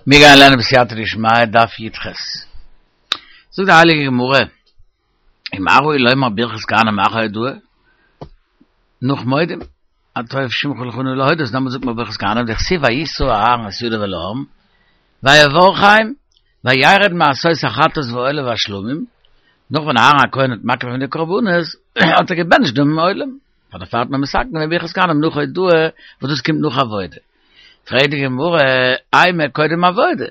מיר גייען לערנען בסייעתא דשמיא דף י"ח. זאגט די הייליגע גמרא, ומה ראו לומר ברכת כהנים אחר הודאה, נאך מודים, הטוב שמך ולך נאה להודות, דעמאלט זאגט מען ברכת כהנים, דכתיב וישא אהרן את ידיו אל העם, ויברכם, וירד מעשות החטאת והעולה והשלמים, נאך ווען אהרן הכהן האט מקריב געווען די קרבנות, האט ער געבענטשט דעם עולם, פאר דערפאר האט מען מתקן געווען ברכת כהנים נאך הודאה, וואס דאס קומט נאך עבודה. פרעגט די גמרא, אימא קודם עבודה,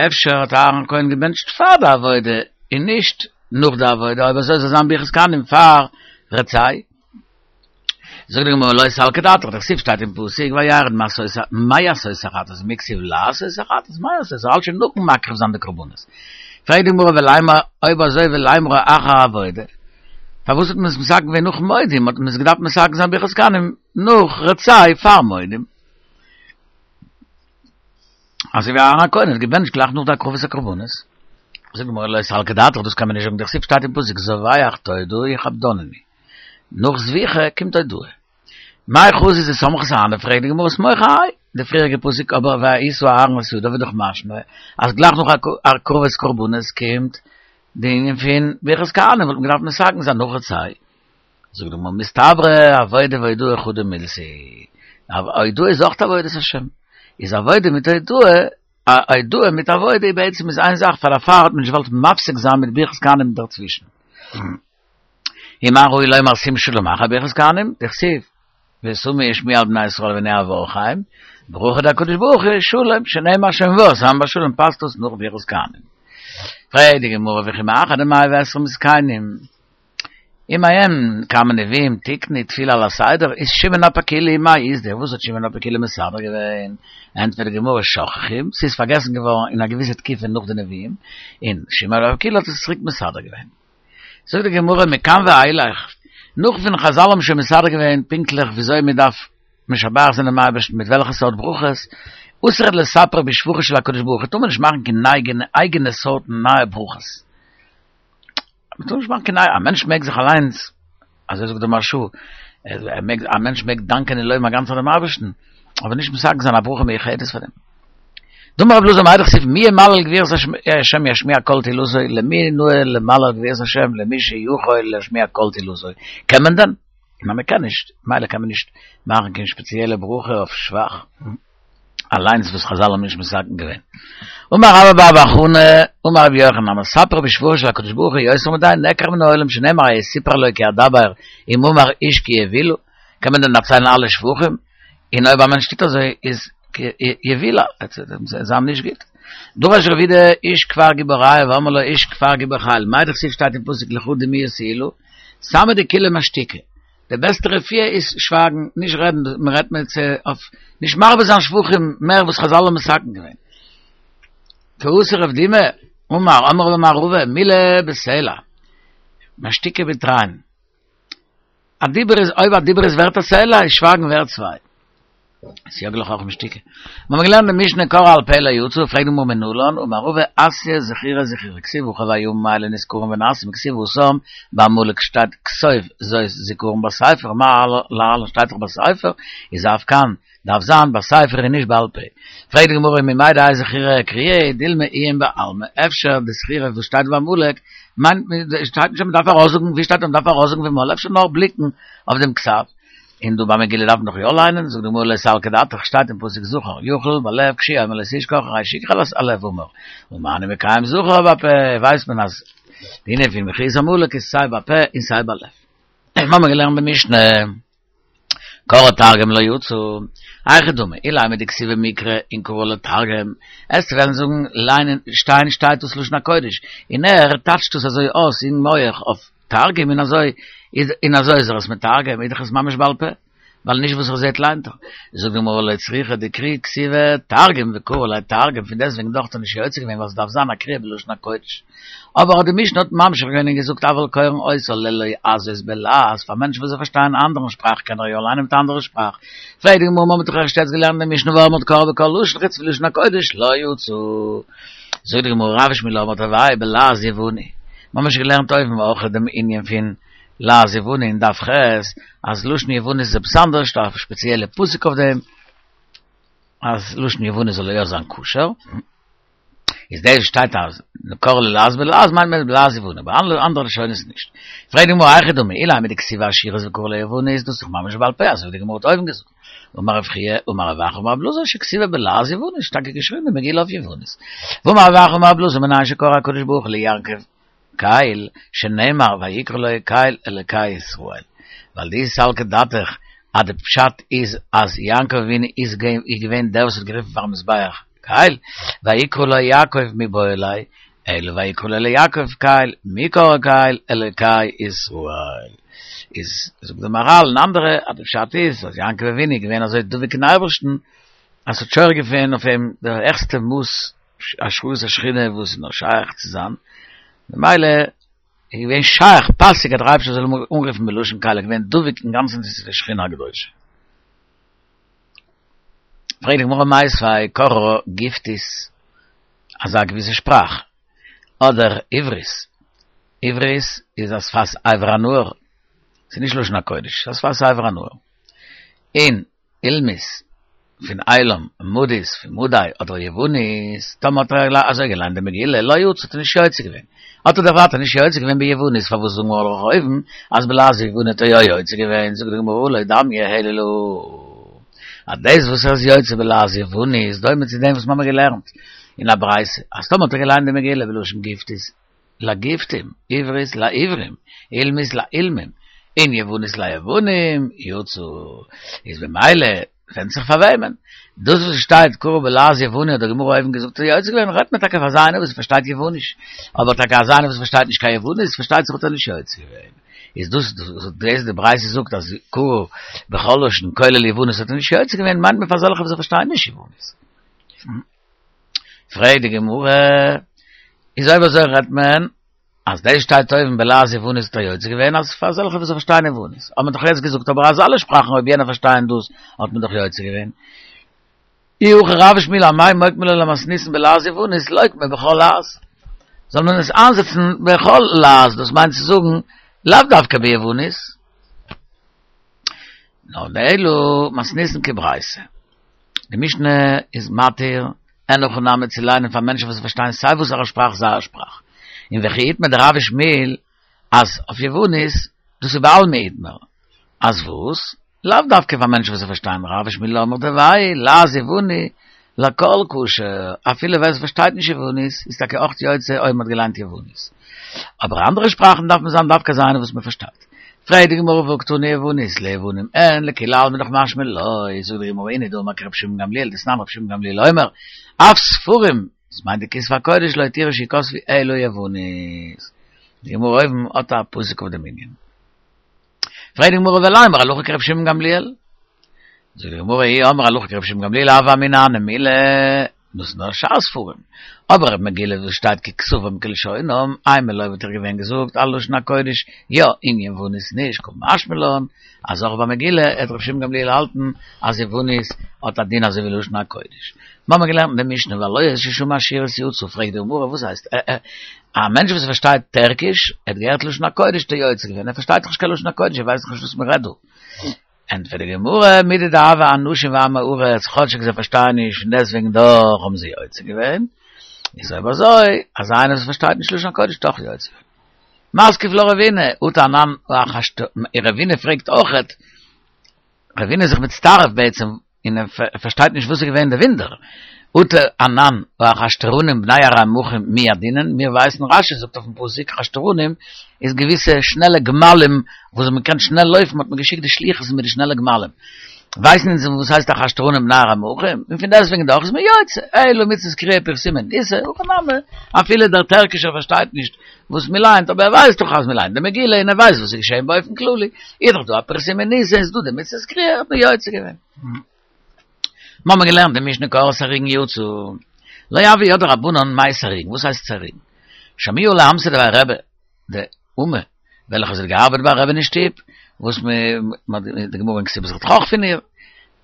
אפשר האט אהרן הכהן געבענטשט פאר די עבודה און נישט נאך די עבודה, אויב אזוי זאל זיין ברכת כהנים פאר רצה. זאגט די גמרא לא סלקא דעתך, דכתיב שטייט אין פסוק וירד מעשות החטאת, מי כתיב לעשות החטאת, מעשות, האלט שוין נאכן מקריב זיין די קרבנות. פרעגט די גמרא ולימא, אויב אזוי ולימרה אחר עבודה, פארוואס האט מען עס מתקן געווען נאך מודים, האט מען עס געדארפט מתקן זיין ברכת כהנים נאך רצה פאר מודים. אזוי ווי אהרן הכהן האט געבענטשט גלייך נאך די הקרבת הקרבנות. זאגט די גמרא לא סלקא דעתך, דאס קען מען נישט זאגן, דכתיב שטייט אין פסוק זובח תודה יכבדנני, נאך זביחה קומט הודאה. מאי חזית דסמכת אהני, פרעגט די גמרא סמוך אהייא, די פריעריגע פסוק אבער וישא אהרן את ידיו איז דאך משמע אז גלייך נאך הקרבת קרבנות קומט די ענין פון ברכת כהנים וואלט מען געדארפט מתקן זיין נאך רצה. זאגט די גמרא מסתברא עבודה והודאה חדא מילתא היא, הודאה איז אויך עבודת השם, איז עבודה מיט הודאה, הודאה מיט עבודה איז בעצם איז איין זאך, פאר דערפאר האט מען נישט געוואלט מפסיק זיין מיט ברכת כהנים דערצווישן. ומה ראו לומר שים שלום אחר ברכת כהנים, דכתיב ושמו שמי על בני ישראל והנה אברכם, ברכה דהקדוש ברוך הוא שלום, שנאמר שומר את עמו בשלום פאסט דאס נאך ברכת כהנים. פרעגט די גמרא וכי מאחר דמאה ועשרים זקנים עמהם כמה נביאים תיקנו תפילה על הסדר איז שמעון הפקולי מאי אית דיה וואס האט שמעון הפקולי מסדר געווען? ענטפערט די גמרא שכחום ס'איז פארגעסן געווארן אין א געוויסע תקופה נאך די נביאים און שמעון הפקולי האט עס צוריק מסדר געווען. זאגט די גמרא מכאן ואילך נאך ווען חזל האבן שוין מסדר געווען פונקטליך וויאזוי מען דארף משבח זיין דעם אייבערשטן מיט וועלכע סארט ברכות, אסור לספר בשבחו של הקדוש ברוך הוא טאר מען נישט מאכן קיין אייגענע סארטן נייע ברכות. מען טאר נישט מאכן קיין א מענטש מעג זיך אליינס, אזוי זאגט דער מהרש"א, ער מעג, א מענטש מעג דאנקען און לויבן א גאנצע צייט דעם אייבערשטן, אבער נישט מתקן זיין א ברכה מיוחדת פאר דעם. דאמר רבי אלעזר מאי דכתיב מי ימלל גבורות השם ישמיע כל תהלתו, למי נאה למלל גבורות השם למי שיכול להשמיע כל תהלתו, קען מען דען? ניין מען קען נישט, מילא קען מען נישט מאכן קיין שפעציעלע ברכה אויף שבח. אליינס וואס חזל האבן נישט מתקן געווען. אמר רבה בר בר חנה, אמר רבי יוחנן, המספר בשבחו של הקדוש ברוך הוא יותר מדאי נעקר מן העולם שנאמר הסיפר לו כי אדבר אם אמר איש כי יבולע, קען מען דען דערציילן אלע שבחים? און אויב א מענטש טוט אזוי איז יבולע, עס איז אים נישט גוט. דרש רב יהודה איש כפר גיבור רעיא ואמרי לה איש כפר גיבור חיל, מאי דכתיב שטייט אין פסוק לכה דומיה תהלה, סמא דכולא משתיקה. די בעסטע רפואה איז שווייגן, נישט רעדן, מען רעדט מיט צו אויף, נישט מרבה זיין שבחים מער וואס חזל האבן מתקן געווען. כי אתא רב דימי, אמר, אמר רבה אמר רבא, מילי בסלע, משתיקה בתרין. א דיבור איז, אויב א דיבור איז ווערט א סלע, איז שווייגן ווערט צוויי. סייג לחכמה שתיקה. מיר האבן געלערנט אין משנה קרא על פה לא יצא, פרעגט די גמרא מנלן, אמר רבא אתיא זכירה זכירה, כתיב הכא והימים האלה נזכרים ונעשים, וכתיב התם בעמלק שטייט כתוב זאת זכרון בספר, מה להלן שטייט דאך בספר, איז אף כאן דארף זיין בספר און נישט בעל פה. פרעגט די גמרא ממאי דהאי זכירה קריאה דילמא עיון בעלמא, אפשר די זכירה וואס שטייט בעמלק מיינט שטייט נישט אז מען דארף ארויסזאגן, ווי שטייט אז מען דארף ארויסזאגן פון מויל, אפשר נאר בליקן אויף דעם כתב. און דא ביי מגילה דארף מען דאך יא ליינען, זאגט די גמרא לא סלקא דעתך, שטייט אין פסוק זכור, יכול בלב כשהוא אומר לא תשכח הרי שכחת הלב אמור, ומה אני מקיים זכור בפה, ווייסט מען אז די ענין פון מחיית עמלק איז סיי בפה און סיי בלב. מיר האבן געלערנט במשנה, קרא תרגום לא יצא, היכי דמי, אילימא דכתיבי מקרא און קרי לה תרגום, עסטו וועלן זאגן ליינען שטיין שטייט דאס לשון הקודש, און ער טייטשט דאס אזוי אויס אין מח אויף תרגום און אזוי איז און אזוי איז ער עס מתרגם איז דאך עס ממש בעל פה ווייל נישט וואס ער זעט ליינט ער. זאגט די גמרא לא צריכא דקרי כתיבה תרגום וקרי לה תרגום פון דעסטוועגן דאך האט ער נישט יוצא געווען ווייל עס דארף זיין א קריאה בלשון הקודש. אבער האט די משנה האט ממשיך געווען און געזאגט אבל קורין אותה ללועזות בלעז פאר מענטשן וואס זיי פארשטייען א אנדערן שפראך קען ער יא ליינען מיט א אנדערע שפראך. פרעגט די גמרא מ'האט דאך ערשט יעצט געלערנט די משנה והעומד קורא בכל לשון חוץ מלשון הקודש לא יצא. זאגט די גמרא רב ושמואל אמרה תרוייהו בלעז יווני, מיר האבן שוין געלערנט אויבן אויך דעם ענין פון לעז יווני אין דף ח', אז לשון יוונית איז עפעס אנדערש, דא א שפעציעלע פסוק אויף דעם. אז לשון יוונית זאל יא זיין כשר, איז דאס שטייט אז קרא ללעז בלעז מיינט מען בלעז יווני, אבער אלע אנדערע לשונות נישט. פרעגט די גמרא היכי דמי, אילימא דכתיבה אשורית וקרא ליוונית, דאס איז דאך ממש בעל פה אזוי ווי די גמרא האט אויבן געזאגט. אמר רב חייא אמר רב אחא אמר רב אלעזר שכתיבה בלעז יוונית, טאקע געשריבן די מגילה אויף יוונית. ואמר רב אחא אמר רב אלעזר מנין שקרא הקדוש ברוך הוא ליעקב קל שנאמר ויקרא לו קל אלקי ישראל, ווייל דאי סלקא דעתך אז די פשט איז אז יעקב אבינו איז געווען דער וואס האט גערופן פארן מזבח קל, ויקרא לו יעקב מיבעי ליה, אלא ויקרא לו ליעקב קל, מי קרא קל אלקי ישראל. איז זאגט די מהרל און אנדערע אז די פשט איז אז יעקב אבינו איז געווען אזוי דבוק אין אייבערשטן אז ס'האט שורה געווען אויף אים די העכסטע מאס השראת השכינה וואס איז נאר שייך צו זיין, ממילא איז געווען שייך פאסיג אז דער אייבערשטער זאל אים אנרופן בלשון קל, ער איז געווען דבוק אינגאנצן צו די שכינה הקדושה. פרעגט די גמרא מיתיבי קראה גיפטית, אזא געוויסע שפראך, אדער עברית, עברית איז א שפת עבר הנהר, ס'איז נישט לשון הקודש, ס'איז א שפת עבר הנהר, און עילמית פון עילם, מדית פון מדי, אדער יוונית, טאמער האט ער אזוי געליינט די מגילה, לא יצא האט ער נישט יוצא געווען. האט ער דאך ווייטער נישט יוצא געווען ביוונית, פארוואס זאגן מיר דאך אויבן אז בלעז יווני האט ער יא יוצא געווען, זאגט די גמרא לא דמיא אלא להא אז דאס וואס ער איז יוצא בלעז יווני איז דומה צו דעם וואס מיר האבן געלערנט אין א ברייתא, אז טאמער האט ער געליינט די מגילה בלשון גיפטית, לגיפטים, עברית לעברים, עילמית לעילמים, און יוונית ליוונים, יצא. איז במילא, ווענדט זיך פאר וועמען. דאס וואס שטייט קרא בלעז יווני האט די גמרא אויבן געזאגט איז יוצא געווען, רעדט מען טאקע פאר אזא איינער וואס פארשטייט יווניש. אבער טאקע אזא איינער וואס פארשטייט נישט קיין יוונית, פארשטייט זיך האט ער נישט יוצא געווען. איז דאס דאס די ברייתא זאגט אז קרא בכל לשון כולל יוונית האט ער נישט יוצא געווען, מיינט מען פאר אזעלכע וואס פארשטייען נישט יוונית. פרעגט די גמרא, איז אויב אזוי רעדט מען אז דאס שטייט אויבן בלעז יוונית האט ער יוצא געווען אז פאר אזעלכע וואס פארשטייען יוונית, האט מען דאך יעצט געזאגט אבער אז אלע שפראכן אויב יענע פארשטייען דאס האט מען דאך יוצא געווען. אי הכי רב ושמואל אמאי מוקמי ליה למתניתין בלעז יוונית לוקמה בכל לעז. זאל מען עס איינזעצן בכל לעז דאס מיינט צו זאגן לאו דווקא ביוונית. נאר אלא מתניתין כברייתא. די משנה איז מתיר אין הכי נמי צו ליינען פאר מענטשן וואס פארשטייען סיי וואסערע שפראך זייער שפראך. און וכי איתמר דרב ושמואל אז אויף יוונית דאס איז בעלמא איתמר. אז וואס? לאו דווקא פאר מענטשן וואס פארשטייען רב ושמואל אמרי תרוייהו לעז יווני לכל כשר אפילו ווער עס פארשטייט נישט יוונית איז טאקע אויך יוצא אויב מען האט געליינט יוונית. אבער אנדערע שפראכן דארף מען זיין דווקא אזא איינער וואס מען פארשטייט. פרעגט די גמרא והא קתני יוונית ליוונים אין לכולי עלמא דאך משמע לא, זאגט די גמרא אינהו דאמר כרבי שמעון גמליאל דתנן רבי שמעון גמליאל אומר אף ספרים, דאס מיינט די כתבי הקודש לא התירו שיכתבו אלא יוונית. די גמרא אויבן האט א פסוק אויף דעם ענין. פרעגט די גמרא ולימא הלכה כרבי שמעון גמליאל. זאגט די גמרא אי אמרת הלכה כרבי שמעון גמליאל הוה אמינא הני מילי, דאס איז נאר שאר ספרים. אבער מגילה וואס שטייט ככתבם כלשונם, אימא לא וואלט איך געווען געזאגט אז לשון הקודש יא און יוונית נישט, קא משמע לן אז אויך ביי מגילה העט רבי שמעון גמליאל האלטן אז יוונית האט א דין אזוי ווי לשון הקודש. מיר האבן געלערנט אין די משנה והלועז ששמע אשורית יצא, פרעגט די גמרא וואס הייסט א מענטש וואס פארשטייט טערקיש האט געהערט לשון הקודש האט ער יוצא געווען, ער פארשטייט דאך נישט קיין לשון הקודש ער ווייסט דאך נישט וואס מען רעדט דא. ענטפערט די גמרא, מידי דהוו אנשים ועמי הארץ, כאטשיג זיי פארשטייען נישט פון דעסטוועגן דאך האבן זיי יוצא געווען, איז אויב אזוי, אז איינער וואס פארשטייט נישט לשון הקודש האט אויך יוצא געווען. מתקיף לה רבינא, אטו אנן רבינא פרעגט אויכעט, רבינא איז זיך מצטרף בעצם און ער פארשטייט נישט וואס איז געווען די ווינדער, אטו אנן ואחשתרנים בני ארמחים מי ידעינן, מיר ווייסן רשי זאגט אויפן פסוק אחשתרנים איז געוויסע שנעלע גמלים וואס מען קען שנעל לויפן האט מען געשיקט די שליחות מיט די שנעלע גמלים, ווייסן אונז וואס הייסט אחשתרנים בני ארמחים, און פון דעסטוועגן דאך איז מען יוצא, אלא מצות קריאה פרסומי ניסא, הכא נמי, אפילו דער טערקישער פארשטייט נישט וואס מען ליינט, אבער ער ווייסט דאך אז מען ליינט די מגילה און ער ווייסט וואס איז געשען באופן כללי, איז דאך דא א פרסומי ניסא איז דא די מצות קריאה האט מען יוצא געווען. מיר האבן געלערנט די משנה קראה סריגין יצא, לא הוו ידעי רבנן מאי סריגין, וואס הייסט סריגין? שמעוה לאמתא דבי רבי, די אומה וועלכע זי האט געארבעט ביי רבי'ן אין שטוב, וואס מען האט די גמרא אין כתובות רעדט אויך פון איר,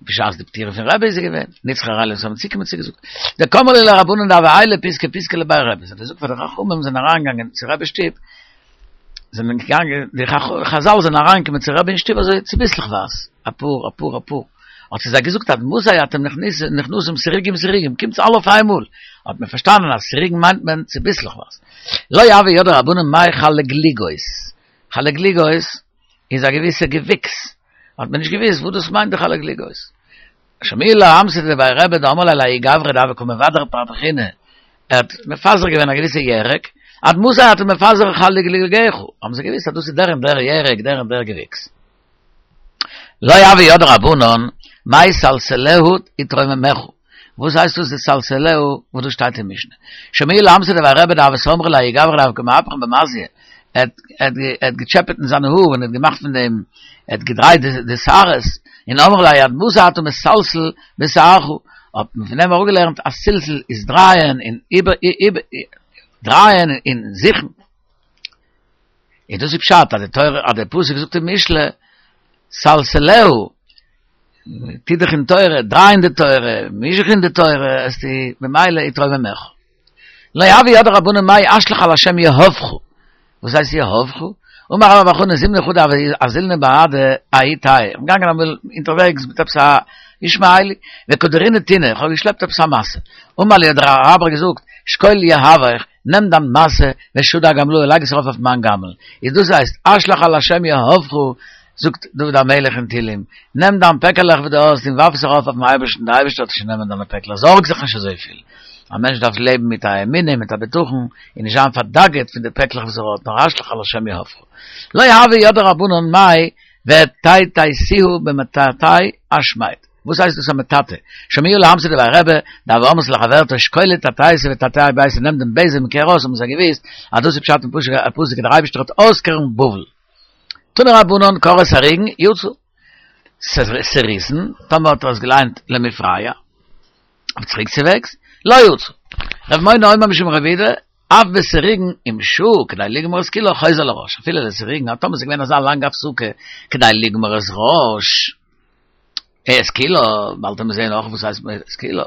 בשעת די פטירה פון רבי איז זי געווען, נצחי ערלה וואס האבן צוגעקומען צו געזאגט, דקאמרו להו לרבנן דהוו עיילי פיתקא פיתקא לבי רבי, זיי האבן געזאגט פאר די חכמים זענען אריינגעגאנגען צו רבי'ס שטוב, זענען געגאנגען, די חזל זענען אריינגעקומען צו רבי אין שטוב אזוי צוביסלעכווייז, אפאר אפאר אפאר, האט זי זיי געזאגט עד מתי אתם נכנסים סריגים סריגים, קומטס אלע אויף איינמאל, האט מען פארשטאנען אז סריגים מיינט מען צוביסלעכווייז. לא הוו ידעי רבנן מאי חלגליגות, חלגליגות איז א געוויסע געוויקס, האט מען נישט געוויסט וואס דאס מיינט די חלגליגות. שמיע להו אמתא דבי רבי דאמר להו לההוא גברא דהוה קא מבדר פרפחינא, ער האט מפזר געווען א געוויסע ירק, עד מתי אתה מפזר חלגליגיך, האבן זיי געוויסט אז דאס איז דער און דער ירק, דער און דער געוויקס. לא הוו ידעי רבנן, מאי סלסלהו יתרוממך, וואס הייסט דאס די סלסלהו וואס דאס שטייט אין משנה? שמיע להו אמתא דבי רבי דהוה סמרי לההוא גברא דהוה קא מהפכן במזייה, ער האט געטשעפעט אין זיינע האר און האט געמאכט פון דעם, ער האט געדרייט די שערות, און אמרי ליה עד מתי אתה מסלסל בשערך, האט מען פון דעם אראפגעלערנט אז סלסול איז דרייען און איבער דרייען און זוכן. און דאס איז פשט אז די תורה אז דער פסוק זאגט אין משלי סלסלהו טו דיך אין תורה, דריי אין די תורה, מיש זיך אין די תורה, וועסטו במילא יתרוממך. לא הוו ידעי רבנן מאי אשליך על השם יהבך, וואס הייסט יהבך? אמר רבה בר בר חנה זימנא חדא הוה אזילנא בהדי ההוא טייעא, איך בין געגאנגען אמאל אונטערוועגס מיט עפעס א ישמעאלי, וקא דרינא טונא, איך האב געשלעפט עפעס א משא, אמר לי האט דער אראבער געזאגט, שקול יהבך, נעם דיין משא, ושדי אגמלאי, לייג עס ארויף אויף מיין גמל. איז דאס הייסט, אשליך על השם יהבך, זאגט דוד המלך אין תהילים, נעם דיין פעקעלעך וואס דו האסט און ווארף עס ארויף אויפן אייבערשטן, דער אייבערשטער וועט שוין נעמען דיינע פעקלעך, זארג זיך נישט אזויפיל. א מענטש דארף לעבן מיט א אמונה, מיט א בטחון, און נישט זיין פארדאגה'ט פון די פעקלעך וואס ער האט, נאר אשליך על השם יהבך. לא הוו ידעי רבנן מאי וטאטאתיהו במטאטא אשמד. וואס הייסט דאס א מטאטא? שמיע להו אמתא דבי רבי, דהוה אמרת לחברתה שקולי טאטאתי וטאטאי ביתא נעם דעם בעזעם און קער אויס האבן זיי געוויסט אז דאס איז פשט אין פסוק דער אייבערשטער האט אויסקערן בבל. תנו רבנן קרע סריגין יצא. סריסין, טאמער האט ער עס געליינט למפרע, אויף צוריקצווועגס, לא יצא. ר' מונא אומר משום ר' יהודה, אף בסריגין אם שהה כדי לגמור את כולה חוזר לראש, אפילו לסירוגין, אז טאמער ס'איז געווען אזא לאנגע הפסקה כדי לגמור את ראש, את כולה, באלד וועט מען זעהן אויך וואס הייסט את כולה,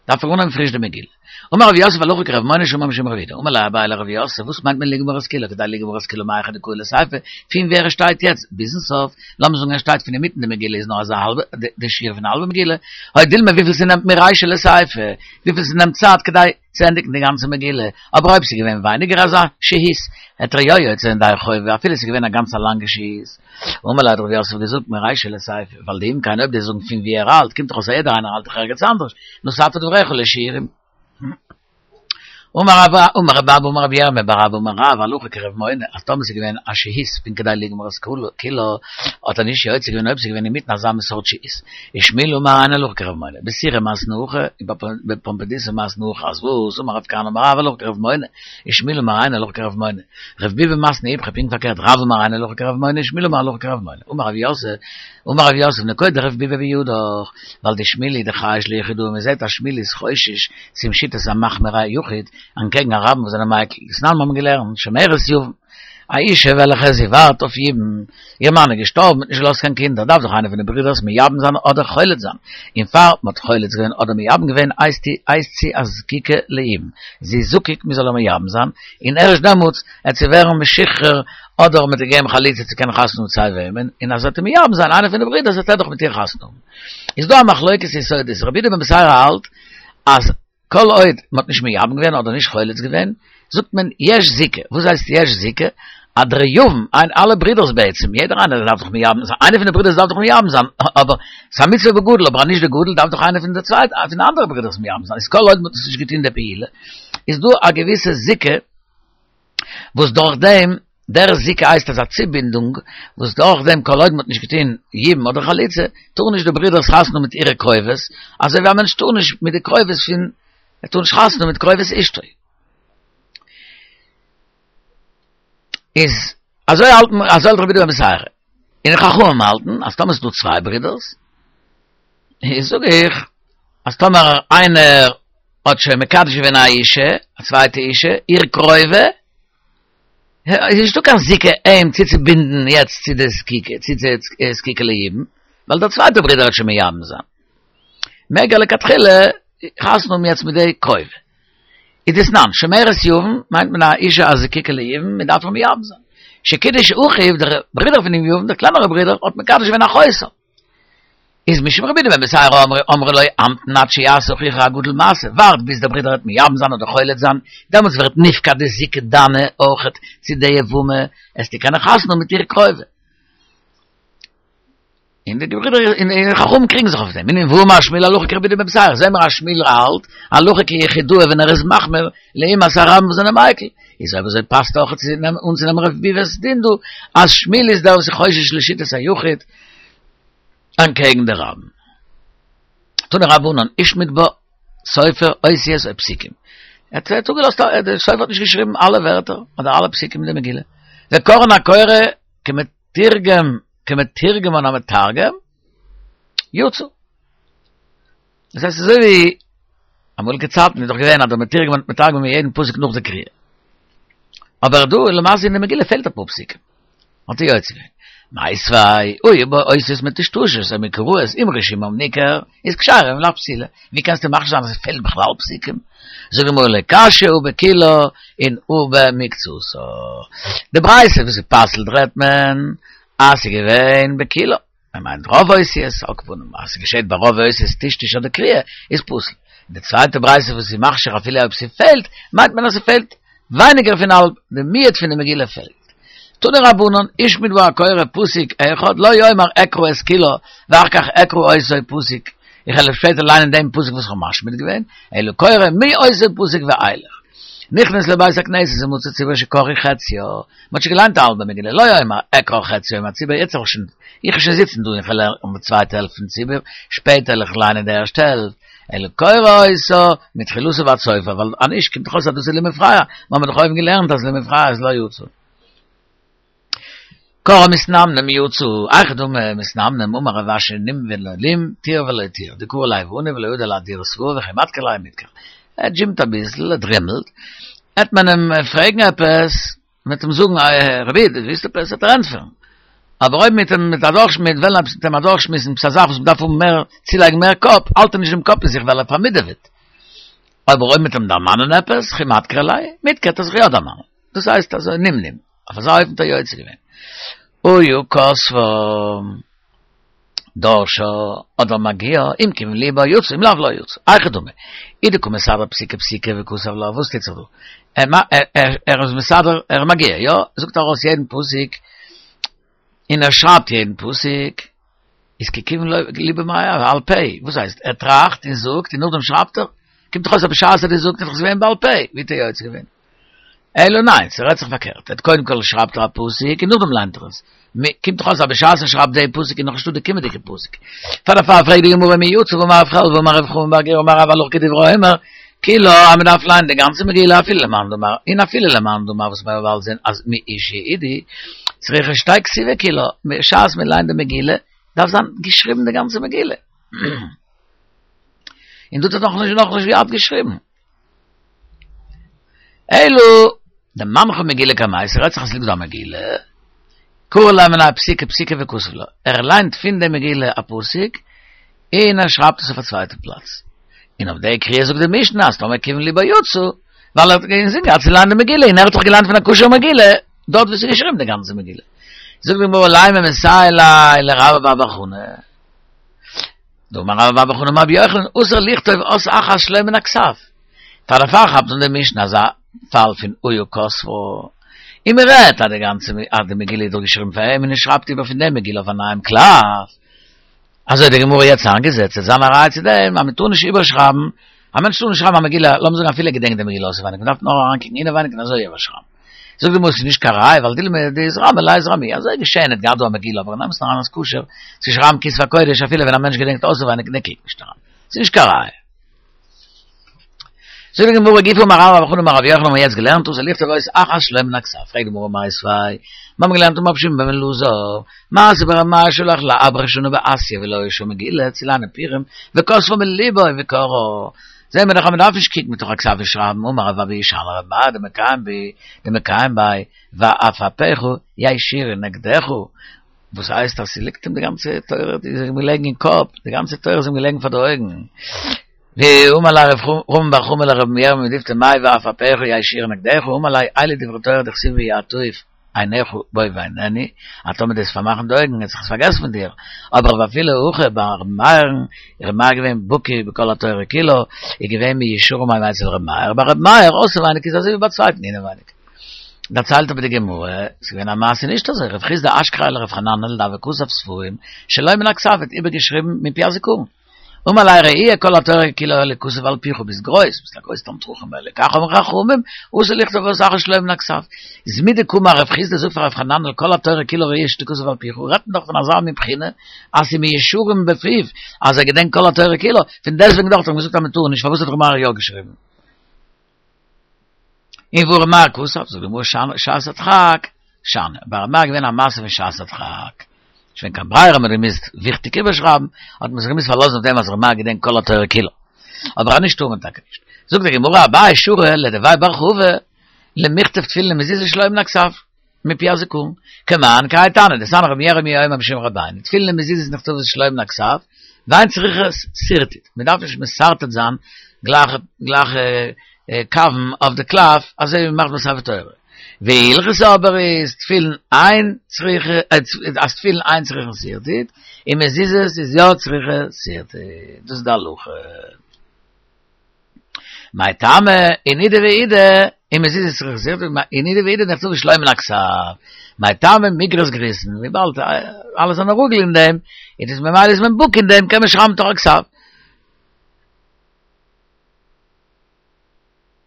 דארף ער אנהויבן פריש די מגילה. אמר רב יוסף הלכה כרב מונא שאמר משום רב יהודה, אמר ליה אביי לרב יוסף, וואס מיינט מען לגמור את כולה, כדי לגמור את כולה מהיכא דקאי לסיפא, פון וואו ער שטייט יעצט ביזן סוף, לאמיר זאגן ער שטייט פון אינמיטן די מגילה איז נאר אזא האלבע, די שיעור פון א האלבע מגילה, או דילמא וויפיל ס'נעמט מרישא לסיפא, וויפיל ס'נעמט צייט כדי צו ענדיגן די גאנצע מגילה, אבער אויב ס'איז געווען ווייניגער אזא שהות, וועט ער יא יוצא זיין ידי חובה, אפילו ס'איז געווען א גאנץ א לאנגע שהות. אמר ליה האט רב יוסף געזאגט מרישא לסיפא, ווייל דאם כן אויב דו'סט זאגן פון ווי ער האלט, קומט דאך אויס אז יעדער איינער האלט דאך ערגעץ אנדערש, נתת דבריך לשיעורים. אמר רבה אמר רבי אבא אמר רבי ירמיה בר אבא אמר רב הלכה כרב מונא אז טאמער ס'איז געווען א שהות פון כדי לגמור את כולה האט ער נישט יוצא געווען אויב ס'איז געווען אינמיטן אזא מין סארט שהות ושמואל אמר אין הלכה כרב מונא בסורא מתני הכי און בפומבדיתא מתני הכי אז וואס אמר רב כהנא אמר רב הלכה כרב מונא ושמואל אמר אין הלכה כרב מונא רב ביבי מתני איפכא פונקט פארקערט רב אמר אין הלכה כרב מונא ושמואל אמר הלכה כרב מונא אמר רב יוסף אמר רב יוסף נקוט דרב ביבי בידך ווייל דשמואל הוא דחייש ליחידאה מ'זעט אז שמואל איז חושש צום שיטת המחמיר היחיד אנטקעגן א רבים וואס זענען מיקל, דתנן מיר האבן געלערנט שומרת יבם, א אישה וועלכע זי ווארט אויף יבום, איר מאן איז געשטארבן האט נישט געלאזט קיין קינדער, דארף דאך איינער פון די ברידערס מייבם זיין אדער חולץ זיין, און פאר מ'האט חולץ געווען אדער מייבם געווען הייסט זי א זקוקה ליבום, זי איז זקוק מ'זאל איר מייבם זיין, און ערשט דעמאלטס עט זי ווערן משוחרר אדער מ'עט איר געבן חליצה צו קענען חתונה האבן סיי וועמען, און אז ער וועט מייבם זיין איינער פון די ברידערס וועט ער דאך מיט איר חתונה האבן. איז דא א מחלוקת יסודות, רבי יהודה בן בתירא האלט אז כל עוד מען האט נישט מייבם געווען אדער נישט חולץ געווען, זאגט מען יש זיקה, וואס הייסט יש זיקה? אז דער יבם, איין אלע ברידערס בעצם, יעדער איינער דארף דאך מייבם זיין, איינער פון די ברידערס דארף דאך מייבם זיין, אבער ס'איז א מצוה בגדול, אבער אז נישט די גדול דארף דאך איינער פון די צווייטע, פון די אנדערע ברידערס מייבם זיין, איז כל עוד מען האט עס נישט געטון די פעולה, איז דא א געוויסע זיקה, וואס דורך דעם, דער זיקה הייסט אזא צובינדונג, וואס דורך דעם כל עוד מ'האט נישט געטון יבום אדער חליצה, טארן נישט די ברידערס חתונה האבן מיט אירע קרובות, אזוי ווי א מענטש טאר נישט מיט די קרובות פון, ער טאר נישט חתונה האבן מיט קרובת אשתו. איז אזוי האלטן, אזוי האלט רבי יהודה בן בתירא. און חכמים האלטן אז טאמער ס'איז דא צוויי ברידערס, איז זאג איך אז טאמער איינער האט שוין מקדש געווען א אישה, א צווייטע אישה, איר קרובה, איז נישטא קיין זיקה אים צוצובינדן יעצט צו די זקוקה, צו די זקוקה ליבום, ווייל דער צווייטער ברודער וועט שוין מייבם זיין. מעג ער לכתחילה חתונה האבן יעצט מיט די קרובה. איז דתנן, שומרת יבם מיינט מען א אישה הזקוקה ליבום, מען דארף איר מייבם זיין. שקידש אחיו, דער ברודער פונעם יבם, דער קלענערער ברודער, האט מקדש געווען אחותו. איז משום רבי יהודה בן בתירא אמרו אמרו לו המתן עד שיעשה אחיך הגדול מעשה, ווארט ביז דער ברודער וועט מייבם זיין אדער חולץ זיין, דעמאלטס ווערט נפקע די זיקה דיינע אויכעט צו די יבמה, עסטו קענען חתונה האבן מיט איר קרובה. און די ברידער און די חכמים קריגן זיך אויף דעם, און ואמר שמואל הלכה כרבי יהודה בן בתירא, זעהן מיר אז שמואל האלט הלכה כיחידאה ווען ער איז מחמיר לעומת הרבים וואס זענען מיקל, איז אויב אזוי פאסט אויך צו אנצונעמען ר' ביבא'ס דין דא אז שמואל איז דער וואס איז חושש לשיטת היחיד אנטקעגן די רבים. תנו רבנן, השמיט בה סופר אותיות או פסוקים. ער האט אפגעלאזט א, דער סופר האט נישט געשריבן אלע ווערטער אדער אלע פסוקים אין די מגילה. וקראן הקורא כמתרגם כמתורגמן המתרגם יצא. דאס הייסט אזוי ווי אמאליגע צייטן איז דאך געווען אז דער מתורגמן האט מתרגם געווען יעדן פסוק נאך די קריאה. אבער דא למעשה אין די מגילה פעלט אפאר פסוקים. האט ער יוצא געווען. מיתיבי, היו בה אותיות מטושטשות או מקורעות, אם רישומם ניכר, איז כשרה אם לאו פסולה. ווי קענסטו מכשיר זיין אז עס פעלט בכלל פסוקים? זאגט די גמרא לא קשיא הא בכולה און הא במקצתה. די ברייתא וואס איז פסל'ט רעדט מען אז ס'איז געווען בכולה. מען מיינט רוב אותיות, על כל פנים אז ס'געשעט ביי רוב אותיות טשטוש אדער קריעה איז פסול. און די צווייטע ברייתא וואס איז מכשיר אפילו אויב ס'פעלט, מיינט מען אז ס'פעלט ווייניגער פון האלב, די מיעוט פון די מגילה פעלט. תנו רבנן, השמיט בה הקורא פסוק אחד, לא יאמר אקרא את כולה, ואחר כך אקרא אותו פסוק, איך וועל שפעטער ליינען דעם פסוק וואס איך האב משמיט געווען, אלא קורא מאותו פסוק ואילך. נכנס לבית הכנסת ומצא ציבור שקראו חציו, מען האט שוין געליינט א האלבע מגילה, לא יאמר אקרא חציה עם הציבור, יעצט וועל איך שוין, איך וועל שוין זיצן דא און איך וועל לערנען די צווייטע העלפט פון ציבור, שפעטער וועל איך ליינען די ערשטע העלפט, אלא קורא אותה מתחילתה ועד סופה, ווייל אנישט קומט דאך אויס אז דאס איז למפרע, מיר האבן דאך אויבן געלערנט אז למפרע איז לא יצא. קרא מתנמנם יצא, היכי דמי מתנמנם אמר רב אשי נים ולא לים, תיר ולא תיר, דקרי ליה עבני ולא ידע לאהדורי סברא וכי מדכר ליה מידכר. ער דזשימט אביסל, ער דרימלט, עט מען אים פרעגן עפעס, מ'וועט אים זאגן רבי איד, ווילסט עפעס? וועט ער ענטפערן. אבער אויב מ'וועט אים מיט אדורך מ'וועט וועלן עפעס מיט אים אדורכשמועסן עפעס א זאך וואס מ'דארף האבן מער, צולייגן מער קאפ, האלט ער נישט דעם קאפ אין זיך ווייל ער פארמידעוועט. אבער אויב מ'וועט אים דערמאנען עפעס, וכי מדכר ליה, מידכר, וועט ער זיך יא דערמאנען. דאס הייסט אזוי נמנום. אויף אזא אופן האט ער יוצא געווען. היה כותבה. דורשה אדער מגיה, אם כיוון לבו יצא, אם לאו לא יצא. היכי דמי. אי דקא מסדר פסיקא פסיקא וכתב לה, וואס טוט זיך דא? ער איז מסדר, ער איז מגיה, יא? זאגט ארויס יעדן פסוק, און ער שרייבט יעדן פסוק, איז ככיוון לבו מאי בעל פה, וואס הייסט? ער טראכט און זאגט און נאכדעם שרייבט ער? קומט דאך אויס אז בשעת ער האט געזאגט איז דאך עס געווען בעל פה, ווי האט ער יוצא געווען? אלא ניין, ס'רעדט זיך פארקערט, ער האט קודם כל שרייבט ער א פסוק און נאכדעם ליינט ער עס, קומט דאך אויס אז בשעת ער שרייבט די פסוק איז נאכנישטא די קומענדיגע פסוק. פאר דערפאר פרעגט די גמרא מי יצא והאמר רב חלבו אמר רב חמא בר גוריא אמר רב הלכה כדברי האומר כולה אז מ'דארף ליינען די גאנצע מגילה אפילו למאן דאמר און אפילו למאן דאמר וואס מיר וועלן זען אז מאושא אידי צריכה שתהא כתובה כולה בשעת מ'ליינט די מגילה דארף זיין געשריבן די גאנצע מגילה און דא האט ער נאכנישט נאכנישט געהאט געשריבן. אלא דמנחה מגילה קמייתא, ס'רעדט זיך אז ס'ליגט דא א מגילה, קרי לה מיניה פסיקא פסיקא וכתב לה, ער ליינט פון די מגילה א פסוק און ער שרייבט עס אויף א צווייטע פלאץ, און אויף די קריאה זאגט די משנה אז טאמער כיוון ליבו יצא, ווייל ער האט אינזין געהאט צו ליינען די מגילה און ער האט דאך געליינט פון א כשר'ע מגילה, דארט וואו ס'איז געשריבן די גאנצע מגילה. זאגט די גמרא לימא מסייע ליה לרבה בר בר חנה. דאמר רבה בר בר חנה אמר רבי יוחנן אסור לכתוב אות אחת שלא מן הכתב. פאר דערפאר כאפט אן די משנה אזא פאל פון היה כותבה. און מען רעדט אז די גאנצע אז די מגילה איז דאך געשריבן פאר אים און ער שרייבט איבער פון די מגילה אויף א נייעם קלף. אזוי האט די גמרא יעצט איינגעזעצט ס'וועט זיין א ראיה צו דעם אז מען טאר נישט איבערשרייבן, א מענטש טאר נישט שרייבן א מגילה, לאמיר זאגן אפילו ער געדענקט די מגילה אויסעווייניג, מען דארף נאר אריינקוקן אינעווייניג און אזוי איבערשרייבן. זאגט די גמרא ס'איז נישט קיין ראיה ווייל דילמא דאתרמי ליה אתרמי, אזוי געשען האט געהאט דא א מגילה אבער אין אמת'ן אריין איז כשר צו שרייבן כתבי הקודש אפילו ווען א מענטש געדענקט אויסעווייניג און ער קוקט נישט אריין, ס'איז נישט קיין ראיה. זאגט די גמרא גופא אמר רבה בר בר חנה אמר רבי יוחנן האבן מיר יעצט געלערנט אסור לכתוב אות אחת שלא מן הכתב, פרעגט די גמרא מיתיבי, מיר האבן געלערנט אמר רבי שמעון בן אלעזר, מעשה ברבי מאיר שהלך לאברך שנה באסיא ולא היתה שם מגילה צו ליינען פורים וכתבה מליבו וקראה, זעהן מיר דאך אז מען דארף נישט קוקן מתוך הכתב און שרייבן אמר רב אבהו שאני לרבי מאיר דמקיים בי דמקיים ביה ועפעפיך יישירו נגדך, וואס הייסט אז ס'ליגט אים די גאנצע תורה איז אים געלעגן אין קאפ, די גאנצע תורה איז אים געלעגן פאר די אויגן. ואמר ליה רב רמי בר חמא לרב ירמיה מדפתי מאי ועפעפיך יישירו נגדך, אמר ליה אלו דברי תורה דכתיב בהו יטוף. עיניך בו ואיננו, אז טאמער דו וועסט פארמאכן די אויגן וועט זיך עס פארגעסן פון דיר, אבער ואפילו הכי ביי ר' מאיר'ן, ר' מאיר געווען בקי בכל התורה כולה, איז געווען מישרים היו אצל ר' מאיר, ביי ר' מאיר אויסעווייניג איז אזוי ווי ביי צווייטן אינעווייניג. דערציילט אבער די גמרא, ס'איז געווען א מעשה נישט אזוי, רב חסדא אשכחיה לרב חננאל דהוה כתב ספרים שלא מן הכתב האט איבערגעשריבן מפי הזכרון. אמר ליה ראי' כל התורה כולה היה ליכתב על פיך ביסט גרויס, ביסט א גרויס תלמיד חכם ולכך אמרו חכמים, אסור לכתוב בבת אחת שלא מן הכתב. איז מדקאמר רב חסדא זאגט פאר רב חננאל כל התורה כולה ראויה שתכתב על פיך, רעדט מען דאך פון אזא מין בחינה אז ס'איז מישרים בפיו אז ער געדענקט כל התורה כולה, פון דעסטוועגן דאך האט ער אים געזאגט אז מ'טאר נישט, פארוואס האט ר' מאיר יא געשריבן? און והא ר' מאיר כתב, זאגט די גמרא שעת הדחק, שאני, ביי ר' מאיר איז געווען א מעשה פון שעת הדחק, נישט געווען קיין ברירה, מען האט געמוזט וויכטיג איבערשרייבן, האט מען זיך געמוזט פארלאזן אויף דעם אז ר' מאיר געדענקט כל התורה כולה, אבער אז נישט טאר מען טאקע נישט. זאגט די גמרא אביי שרא לדבי בר חבא למכתב תפילין ומזוזה שלא מן הכתב, מפי הזכרון, כמאן כהאי תנא, דתניא רבי ירמי' אומר משום רבינו, תפילין ומזוזות נכתבות שלא מן הכתב, ואין צריכות שרטוט, מען דארף נישט משרטט זיין גלייכע גלייכע קווים אויף די קלף אזוי ווי מען מאכט ביי ספר תורה. והלכתא אבער איז תפילין אין צריכה אז תפילין אין צריכין שרטוט, און מזוזות איז יא צריכה שרטוט, דאס איז די הלכה. מאי טעמא, אין אידי ואידי, אין מזוזות צריכה שרטוט, אין אידי ואידי נכתבות שלא מן הכתב. מאי טעמא מיגרס גריסין, וויבאלד אלע זענען רגיל אין דעם, איז דאס ממילא איז מען בקי אין דעם, קען מען שרייבן מתוך הכתב.